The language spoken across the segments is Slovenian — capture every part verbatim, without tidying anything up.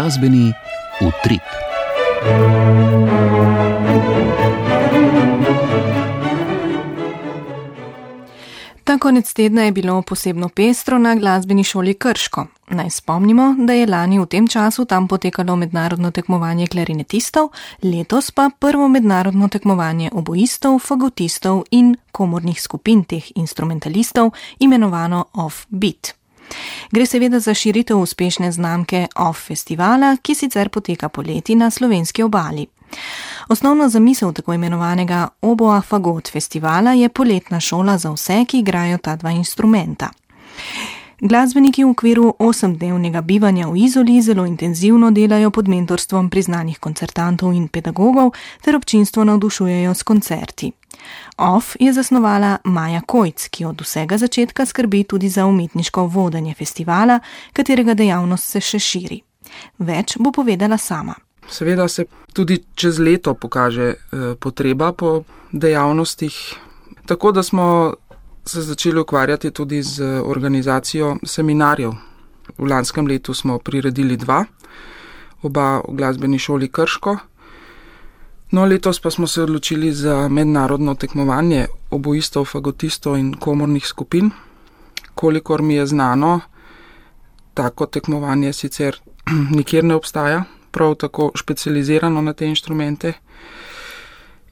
Glasbeni utrip. Ta konec tedna je bilo posebno pestro na glasbeni šoli Krško. Naj spomnimo, da je lani v tem času tam potekalo mednarodno tekmovanje klarinetistov, letos pa prvo mednarodno tekmovanje oboistov, fagotistov in komornih skupin teh instrumentalistov, imenovano Off-Beat. Gre seveda za širitev uspešne znamke Off festivala, ki sicer poteka poleti na slovenski obali. Osnovna zamisel tako imenovanega Oboa Fagot festivala je poletna šola za vse, ki igrajo ta dva instrumenta. Glasbeniki v okviru osemdnevnega bivanja v Izoli zelo intenzivno delajo pod mentorstvom priznanih koncertantov in pedagogov ter občinstvo navdušujejo s koncerti. Off je zasnovala Maja Kojc, ki od vsega začetka skrbi tudi za umetniško vodenje festivala, katerega dejavnost se še širi. Več bo povedala sama. Seveda se tudi čez leto pokaže eh, potreba po dejavnostih, tako da smo se začeli ukvarjati tudi z organizacijo seminarjev. V lanskem letu smo priredili dva, oba v glasbeni šoli Krško. No, letos pa smo se odločili za mednarodno tekmovanje oboistov, fagotistov in komornih skupin. Kolikor mi je znano, tako tekmovanje sicer nikjer ne obstaja, prav tako specializirano na te inštrumente.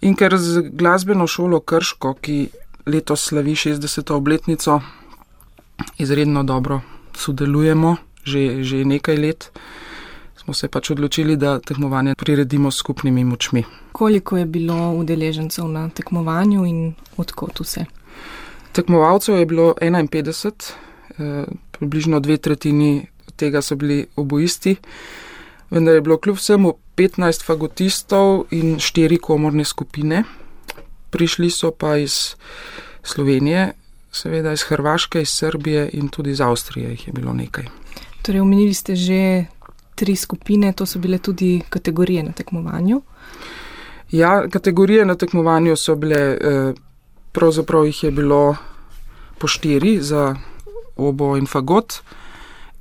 In ker z glasbeno šolo Krško, ki letos slavi šestdeseto obletnico, izredno dobro sodelujemo že, že nekaj let, smo se pač odločili, da tekmovanje priredimo s skupnimi močmi. Koliko je bilo udeležencev na tekmovanju in odkot vse? Tekmovalcev je bilo enainpetdeset, eh, približno dve tretjini tega so bili oboisti, vendar je bilo kljub vsemu petnajst fagotistov in štiri komorne skupine. Prišli so pa iz Slovenije, seveda iz Hrvaške, iz Srbije in tudi iz Avstrije jih je bilo nekaj. Torej, omenili ste že tri skupine, to so bile tudi kategorije na tekmovanju? Ja, kategorije na tekmovanju so bile, pravzaprav jih je bilo po štiri za obo in fagot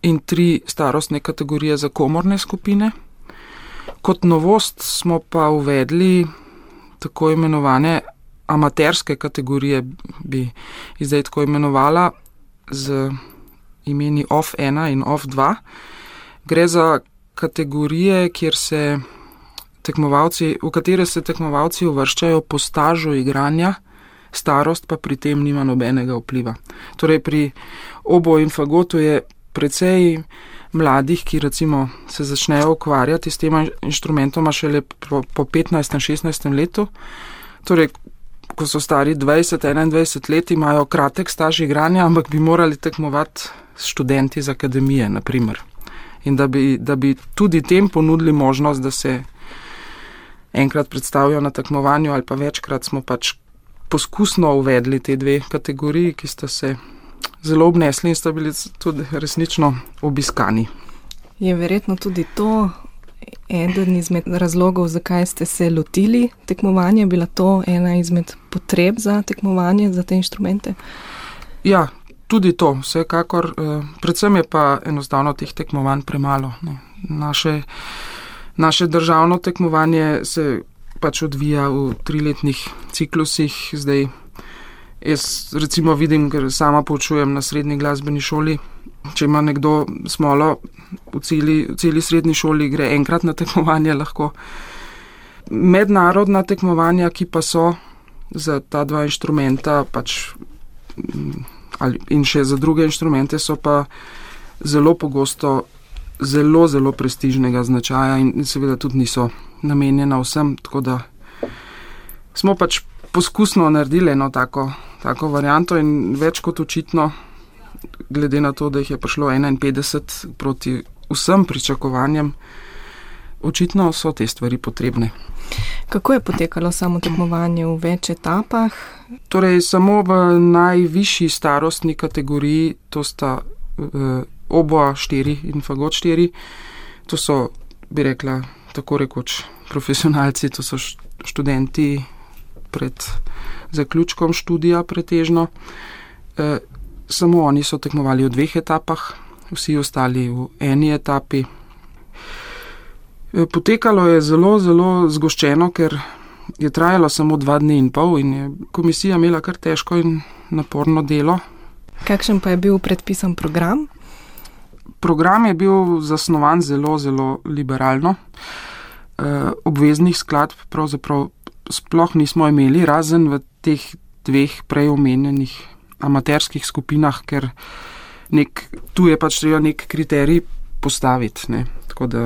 in tri starostne kategorije za komorne skupine. Kot novost smo pa uvedli tako imenovane amaterske kategorije, bi jih zdaj tako imenovala, z imeni Off ena in Off dva. Gre za kategorije, kjer se tekmovalci, v katere se tekmovalci uvrščajo po stažu igranja, starost pa pri tem nima nobenega vpliva. Torej pri obo in fagotu je precej mladih, ki recimo se začnejo ukvarjati s tema inštrumentoma šele po, po petnajstem, šestnajstem letu. Torej, ko so stari dvajset, enaindvajset let, imajo kratek staž igranja, ampak bi morali tekmovati s študenti z akademije, na primer. In da bi, da bi tudi tem ponudili možnost, da se enkrat predstavijo na tekmovanju ali pa večkrat, smo pač poskusno uvedli te dve kategoriji, ki sta se zelo obnesli in sta bili tudi resnično obiskani. Je verjetno tudi to eden izmed razlogov, zakaj ste se lotili tekmovanja? Bila to ena izmed potreb za tekmovanje, za te inštrumente? Ja, tudi to, vsekakor. Predvsem je pa enostavno teh tekmovanj premalo. Naše, naše državno tekmovanje se pač odvija v triletnih ciklusih. Zdaj jaz recimo vidim, ker sama poučujem na srednji glasbeni šoli, če ima nekdo smolo v celi, v celi srednji šoli, gre enkrat na tekmovanje lahko. Mednarodna tekmovanja, ki pa so za ta dva inštrumenta pač, ali, in še za druge inštrumente, so pa zelo pogosto zelo, zelo prestižnega značaja in seveda tudi niso namenjena vsem, tako da smo pač poskusno naredili eno tako, tako varianto in več kot očitno, glede na to, da jih je prišlo enainpetdeset proti vsem pričakovanjem, očitno so te stvari potrebne. Kako je potekalo samo tekmovanje v več etapah? Torej, samo v najvišji starostni kategoriji, to sta eh, oboa štiri in fagot štiri, to so, bi rekla, tako rekoč profesionalci, to so študenti pred zaključkom študija pretežno. E, samo oni so tekmovali v dveh etapah, vsi ostali v eni etapi. Potekalo je zelo, zelo zgoščeno, ker je trajalo samo dva dni in pol in je komisija imela kar težko in naporno delo. Kakšen pa je bil predpisan program? Program je bil zasnovan zelo, zelo liberalno. Obveznih skladb pravzaprav sploh nismo imeli, razen v teh dveh prej omenjenih amaterskih skupinah, ker nek, tu je pač treba nek kriterij postaviti, ne. Tako da,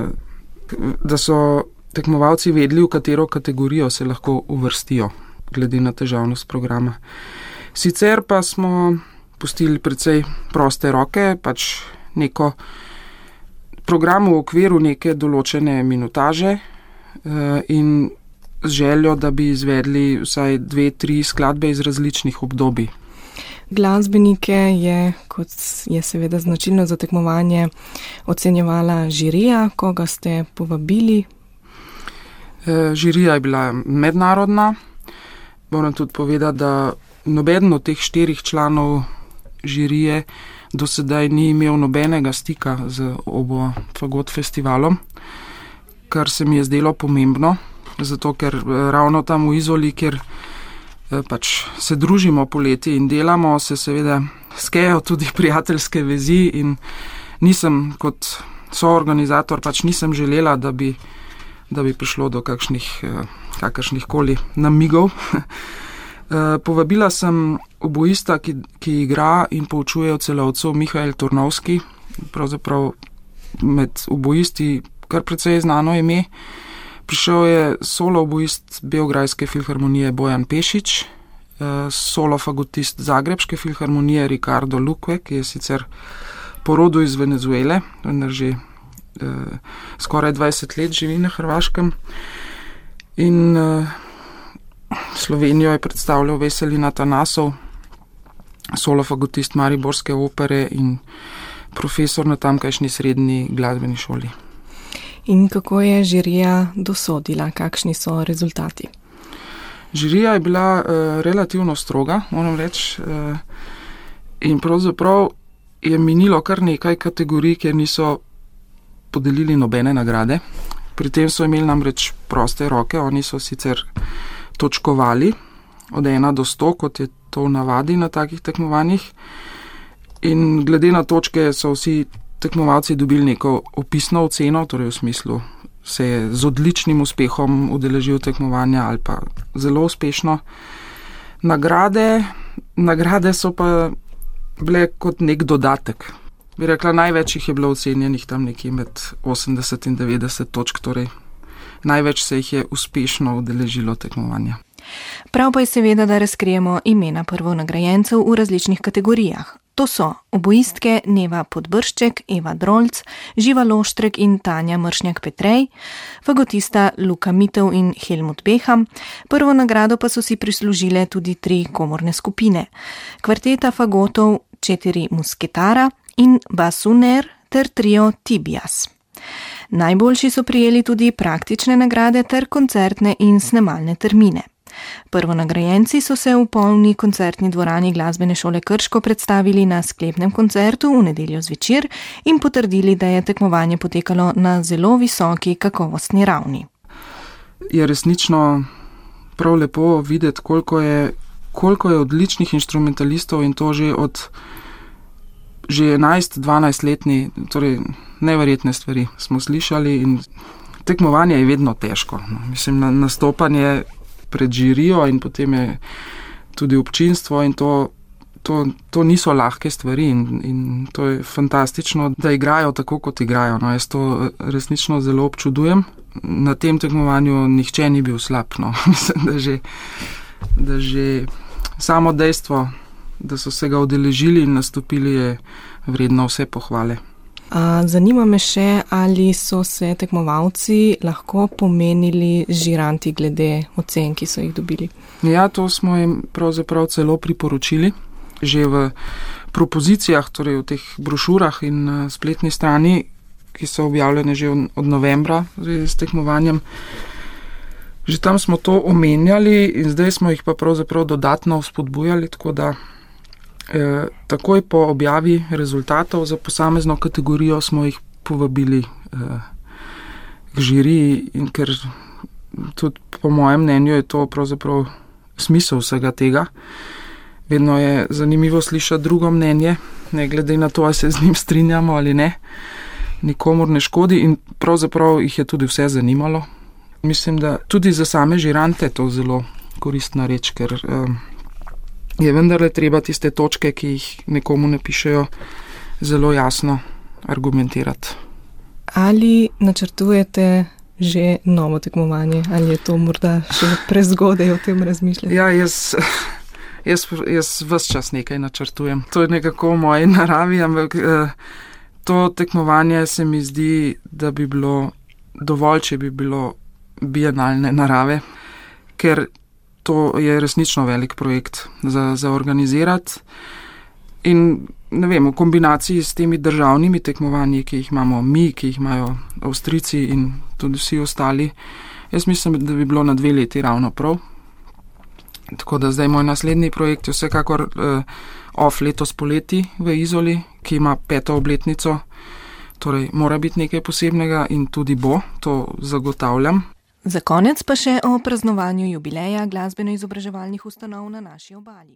da so tekmovalci vedeli, v katero kategorijo se lahko uvrstijo, glede na težavnost programa. Sicer pa smo pustili precej proste roke, pač neko program v okviru neke določene minutaže in z željo, da bi izvedli vsaj dve, tri skladbe iz različnih obdobij. Glasbenike je, kot je seveda značilno za tekmovanje, ocenjevala žirija, koga ste povabili? Žirija je bila mednarodna. Moram tudi povedati, da nobeden od teh štirih članov žirije do sedaj ni imel nobenega stika z Oboe Fagot festivalom, kar se mi je zdelo pomembno, zato ker ravno tam v Izoli, kjer pač se družimo poleti in delamo, se seveda skejo tudi prijateljske vezi in nisem kot soorganizator, pač nisem želela, da bi, da bi prišlo do kakšnih, kakršnih koli namigov. Povabila sem oboista, ki, ki igra in poučuje v Celovcu, Mihael Turnovski, pravzaprav med oboisti kar precej znano ime. Prišel je solo oboist Beograjske filharmonije Bojan Pešič, solo fagotist Zagrebške filharmonije Ricardo Luque, ki je sicer po rodu iz Venezuele, vendar že eh, skoraj dvajset let živi na Hrvaškem. In eh, Slovenijo je predstavljal Veselin Atanasov, solo fagotist Mariborske opere in profesor na tamkajšnji srednji glasbeni šoli. In kako je žirija dosodila? Kakšni so rezultati? Žirija je bila uh, relativno stroga, moram reči, uh, in pravzaprav je minilo kar nekaj kategorij, kjer niso podelili nobene nagrade. Pri tem so imeli namreč proste roke, oni so sicer točkovali od ena do sto, kot je to v navadi na takih tekmovanjih, in glede na točke so vsi tekmovalci dobili neko opisno oceno, torej v smislu se je z odličnim uspehom udeležil tekmovanja ali pa zelo uspešno. Nagrade, nagrade so pa bile kot nek dodatek. Bi rekla, največ jih je bilo ocenjenih tam nekje med osemdeset in devetdeset točk, torej največ se jih je uspešno udeležilo tekmovanja. Prav pa je seveda, da razkrijemo imena prvonagrajencev v različnih kategorijah. To so oboistke Neva Podbršček, Eva Drolc, Živa Loštrek in Tanja Mršnjak-Petrej, fagotista Luka Mitev in Helmut Beham, prvo nagrado pa so si prislužile tudi tri komorne skupine, kvarteta fagotov Četiri musketara in Basuner ter trio Tibias. Najboljši so prijeli tudi praktične nagrade ter koncertne in snemalne termine. Prvonagrajenci so se v polni koncertni dvorani Glasbene šole Krško predstavili na sklepnem koncertu v nedeljo zvečer in potrdili, da je tekmovanje potekalo na zelo visoki kakovostni ravni. Je resnično prav lepo videti, koliko je, koliko je odličnih inštrumentalistov in to že od že enajst dvanajst letni, torej neverjetne stvari smo slišali in tekmovanje je vedno težko. No, mislim, na, nastopanje pred žirijo in potem je tudi občinstvo in to, to, to niso lahke stvari in, in to je fantastično, da igrajo tako, kot igrajo. No, jaz to resnično zelo občudujem. Na tem tekmovanju nihče ni bil slab. No. Mislim, da že, da že samo dejstvo, da so se ga udeležili in nastopili, je vredno vse pohvale. Zanima me še, ali so se tekmovalci lahko pomenili z žiranti glede ocen, ki so jih dobili. Ja, to smo jim pravzaprav celo priporočili. Že v propozicijah, torej v teh brošurah in na spletni strani, ki so objavljene že od novembra s tekmovanjem, že tam smo to omenjali in zdaj smo jih pa pravzaprav dodatno vzpodbujali, tako da E, takoj po objavi rezultatov za posamezno kategorijo smo jih povabili e, k žiriji in ker tudi po mojem mnenju je to pravzaprav smisel vsega tega. Vedno je zanimivo slišati drugo mnenje, ne glede na to, ali se z njim strinjamo ali ne. Nikomur ne škodi in pravzaprav jih je tudi vse zanimalo. Mislim, da tudi za same žirante je to zelo koristna reč, ker um, je vendarle treba tiste točke, ki jih nekomu ne pišejo, zelo jasno argumentirati. Ali načrtujete že novo tekmovanje, ali je to morda še prezgodaj o tem razmišljati? Ja, jaz, jaz, jaz ves čas nekaj načrtujem. To je nekako v moji naravi, ampak eh, to tekmovanje se mi zdi, da bi bilo dovolj, če bi bilo bienalne narave, ker to je resnično velik projekt za, za organizirati. In ne vem, v kombinaciji s temi državnimi tekmovanji, ki jih imamo mi, ki jih imajo Avstrijci in tudi vsi ostali, jaz mislim, da bi bilo na dve leti ravno prav. Tako da zdaj moj naslednji projekt je vsekakor uh, off letos poleti v Izoli, ki ima peto obletnico, torej mora biti nekaj posebnega in tudi bo, to zagotavljam. Za konec pa še o praznovanju jubileja glasbeno-izobraževalnih ustanov na naši obali.